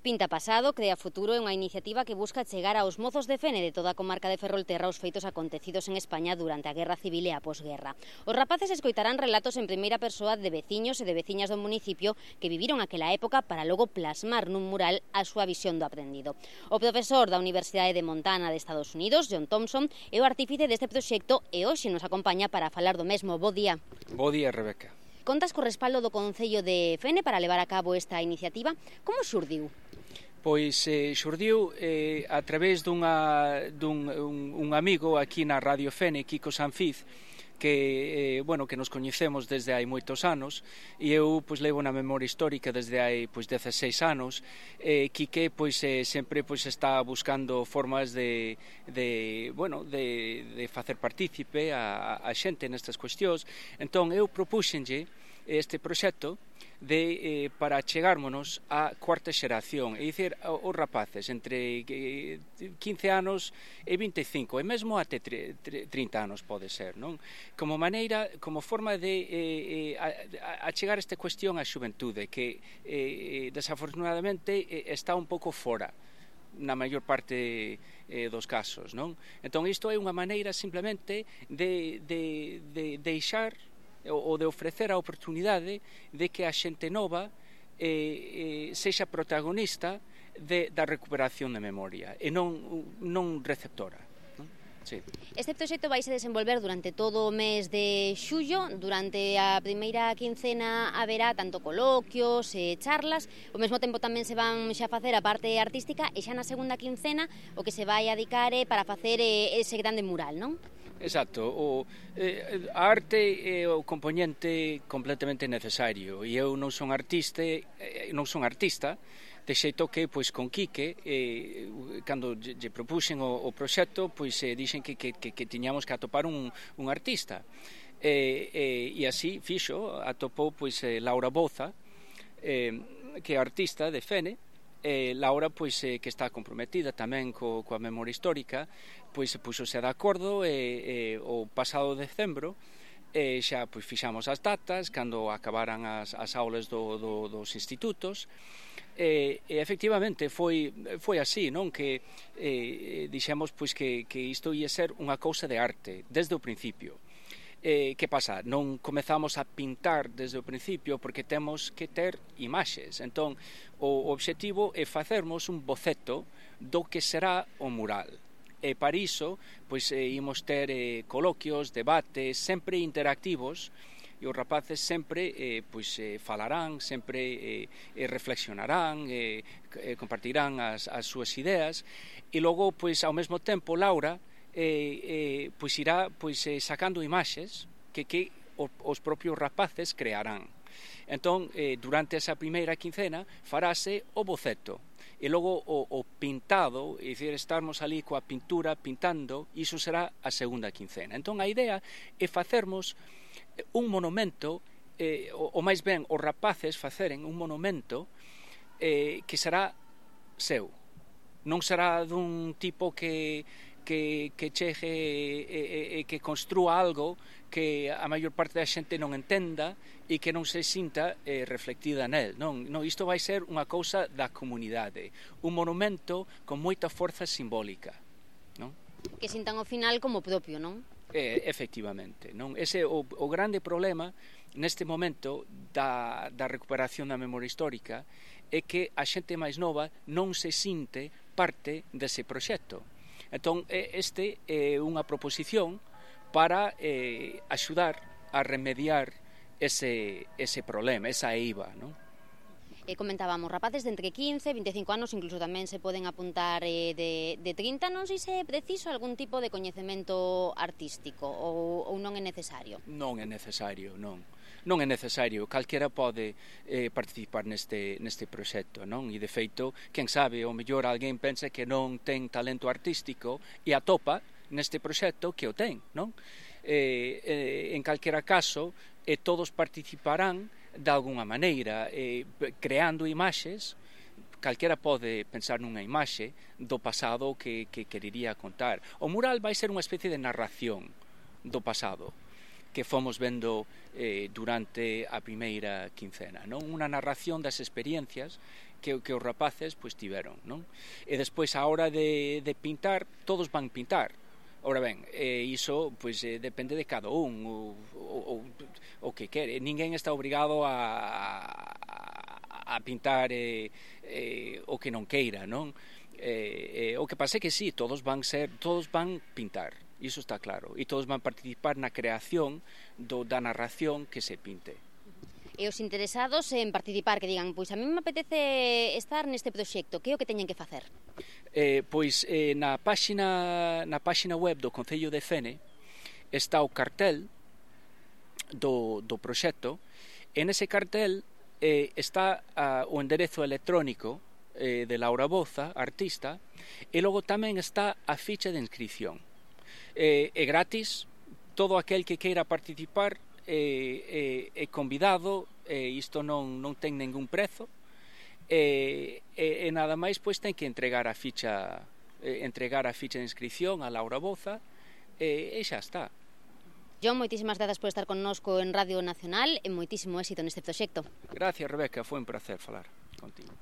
Pinta pasado, crea futuro é unha iniciativa que busca chegar aos mozos de Fene de toda a comarca de Ferrolterra os feitos acontecidos en España durante a Guerra Civil e a posguerra. Os rapaces escoitarán relatos en primeira persoa de veciños e de veciñas do municipio que viviron aquela época para logo plasmar nun mural a súa visión do aprendido. O profesor da Universidade de Montana de Estados Unidos, John Thompson, é o artífice deste proxecto e hoxe nos acompaña para falar do mesmo. Bo día. Bo día, Rebeca. Contas co respaldo do Concello de Fene para levar a cabo esta iniciativa. Como xurdiu? Pois xurdiu a través dun amigo aquí na Radio Fene, Kiko Sanfiz, que nos coñecemos desde hai moitos anos e eu levo na memoria histórica desde hai 16 anos. Quique sempre está buscando formas de facer partícipe a xente nestas cuestións. Entón eu propúxenlle este proxecto para chegármonos á cuarta xeración, é dicir, os rapaces entre 15 anos e 25, e mesmo até 30 anos pode ser, non? Como forma de achegar esta cuestión á xuventude, que desafortunadamente está un pouco fora na maior parte dos casos, non? Entón isto é unha maneira simplemente de deixar ou de ofrecer a oportunidade de que a xente nova sexa protagonista da recuperación de memoria e non receptora. Sí. Este proxecto vai se desenvolver durante todo o mes de xullo. Durante a primeira quincena haberá tanto coloquios e charlas. Ao mesmo tempo tamén se van xa facer a parte artística e xa na segunda quincena o que se vai adicar é para facer ese grande mural, non? Exacto, a arte é o componente completamente necesario e eu non son artista, de xeito que con Quique, cando lle propuxen o proxecto, dixen que tiñamos que atopar un artista, e así fixo, atopou Laura Boza, que é artista de Fene. Laura, que está comprometida tamén coa memoria histórica, puxose de acordo o pasado decembro, xa fixamos as datas cando acabaran as aulas dos institutos, e efectivamente foi así, non? Que dixemos que isto ia ser unha cousa de arte desde o principio. Que pasa? Non comezamos a pintar desde o principio porque temos que ter imaxes. Entón, o obxectivo é facermos un boceto do que será o mural. E para iso, imos ter coloquios, debates, sempre interactivos, e os rapaces sempre falarán, sempre reflexionarán, compartirán as súas ideas, e logo, ao mesmo tempo, Laura irá sacando imaxes que os propios rapaces crearán. Entón, durante esa primeira quincena farase o boceto e logo o pintado, é dicir, estarmos ali coa pintura pintando, iso será a segunda quincena. Entón a idea é facermos un monumento, ou máis ben os rapaces faceren un monumento que será seu, non será dun tipo que chegue e que construa algo que a maior parte da xente non entenda e que non se sinta reflectida nel. Non, isto vai ser unha cousa da comunidade, un monumento con moita forza simbólica, non? Que sintan ao final como propio, non? Efectivamente, non? Ese é o grande problema neste momento da recuperación da memoria histórica, é que a xente máis nova non se sinte parte dese proxecto. Entón, este é unha proposición para axudar a remediar ese problema, esa eiva, non? Comentábamos, rapaces de entre 15 e 25 anos, incluso tamén se poden apuntar de 30, non sei se é preciso algún tipo de coñecemento artístico ou non é necesario? Non é necesario, non é necesario, calquera pode participar neste proxecto, non? E de feito, quen sabe, o mellor alguén pensa que non ten talento artístico e atopa neste proxecto que o ten, non? En calquera caso, todos participarán de alguna maneira, creando imaxes. Calquera pode pensar nunha imaxe do pasado que querería contar. O mural vai ser unha especie de narración do pasado que fomos vendo durante a primeira quincena, non? Unha narración das experiencias que os rapaces pois tiveron, non? E despois a hora de pintar, todos van pintar. Ora ben, iso pois depende de cada un o que quere. Ninguén está obrigado a pintar o que non queira, non? O que pasa é que sí, todos van pintar, iso está claro, e todos van participar na creación da narración que se pinte. E os interesados en participar, que digan, pois a mí me apetece estar neste proxecto, que é o que teñen que facer? Na páxina web do Concello de Fene está o cartel do proxecto, e nese cartel está o enderezo electrónico de Laura Boza, artista, e logo tamén está a ficha de inscripción. É gratis, todo aquel que queira participar é convidado, isto non ten ningún prezo, e nada máis pois ten que entregar a ficha de inscripción a Laura Boza e xa está. John, moitísimas grazas por estar connosco en Radio Nacional e moitísimo éxito neste proxecto. Gracias, Rebeca, foi un placer falar contigo.